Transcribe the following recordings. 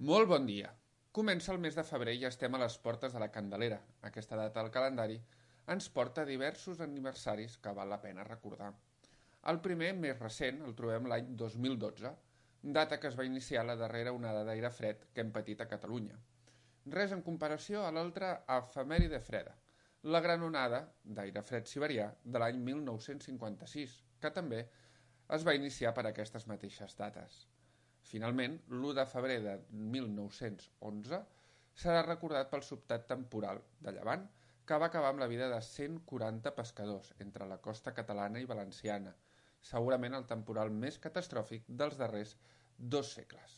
Molt bon dia. Comença el mes de febrer i estem a les portes de la Candelera. Aquesta data del calendari ens porta a diversos aniversaris que val la pena recordar. El primer, més recent, el trobem l'any 2012, data que es va iniciar la darrera onada d'aire fred que hem patit a Catalunya. Res en comparació a l'altra efemèride freda, la gran onada d'aire fred siberià de l'any 1956, que també es va iniciar per aquestes mateixes dates. Finalment, l'1 de febrer de 1911 serà recordat pel sobtat temporal de llevant que va acabar amb la vida de 140 pescadors entre la costa catalana i valenciana, segurament el temporal més catastròfic dels darrers 2 segles.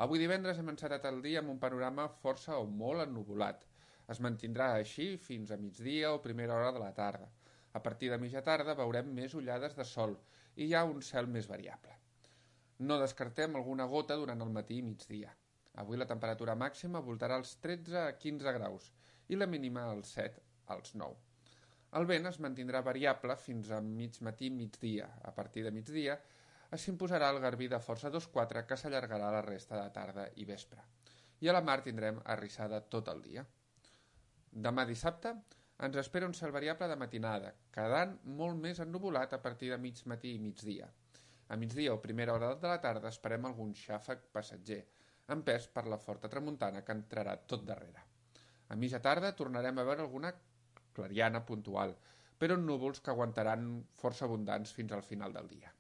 Avui divendres hem encetat el dia amb un panorama força o molt ennuvolat. Es mantindrà així fins a migdia o primera hora de la tarda. A partir de mitja tarda veurem més ullades de sol i hi ha un cel més variable. No descartem alguna gota durant el matí i migdia. Avui la temperatura màxima voltarà als 13 a 15 graus i la mínima als 7 als 9. El vent es mantindrà variable fins a mig matí i migdia. A partir de migdia s'imposarà el garbí de força 2-4 que s'allargarà la resta de tarda i vespre. I a la mar tindrem arrissada tot el dia. Demà dissabte ens espera un cel variable de matinada, quedant molt més ennuvolat a partir de mig matí i migdia. A migdia o primera hora de la tarda esperem algun xàfec passatger, empès per la forta tramuntana que entrarà tot darrere. A mitja tarda tornarem a veure alguna clariana puntual, però núvols que aguantaran força abundants fins al final del dia.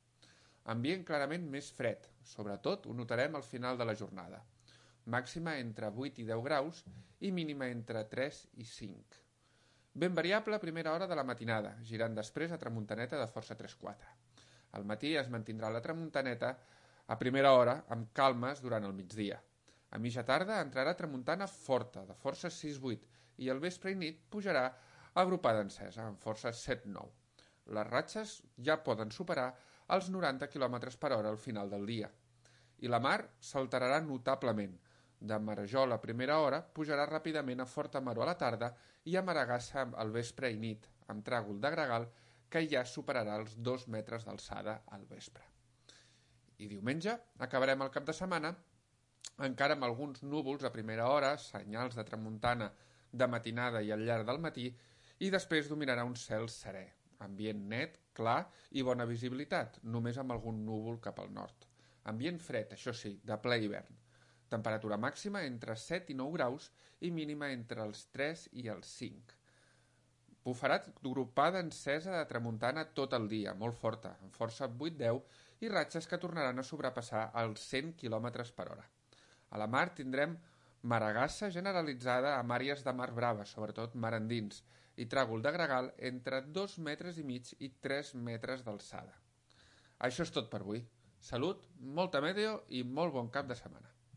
Ambient clarament més fred, sobretot ho notarem al final de la jornada. Màxima entre 8 i 10 graus i mínima entre 3 i 5. Ben variable a primera hora de la matinada, girant després a tramuntaneta de força 3-4. Al matí es mantindrà la tramuntaneta a primera hora amb calmes durant el migdia. A mitja tarda entrarà tramuntana forta, de força 6-8, i al vespre i nit pujarà agrupada encesa, amb força 7-9. Les ratxes ja poden superar els 90 km per hora al final del dia. I la mar s'alterarà notablement. De marejol a primera hora pujarà ràpidament a forta maror a la tarda i a maragassa al vespre i nit, amb tràgol de gregal que ja superarà els 2 metres d'alçada al vespre. I diumenge acabarem el cap de setmana encara amb alguns núvols a primera hora, senyals de tramuntana de matinada i al llarg del matí, i després dominarà un cel serè, ambient net, clar i bona visibilitat, només amb algun núvol cap al nord. Ambient fred, això sí, de ple hivern. Temperatura màxima entre 7 i 9 graus i mínima entre els 3 i els 5. Bufarà gropada encesa de tramuntana tot el dia, molt forta, amb força 8-10 i ratxes que tornaran a sobrepassar els 100 km per hora. A la mar tindrem maragassa generalitzada amb àrees de mar brava, sobretot mar endins, i tràgol de gregal entre 2 metres i mig i 3 metres d'alçada. Això és tot per avui. Salut, molta meteo i molt bon cap de setmana.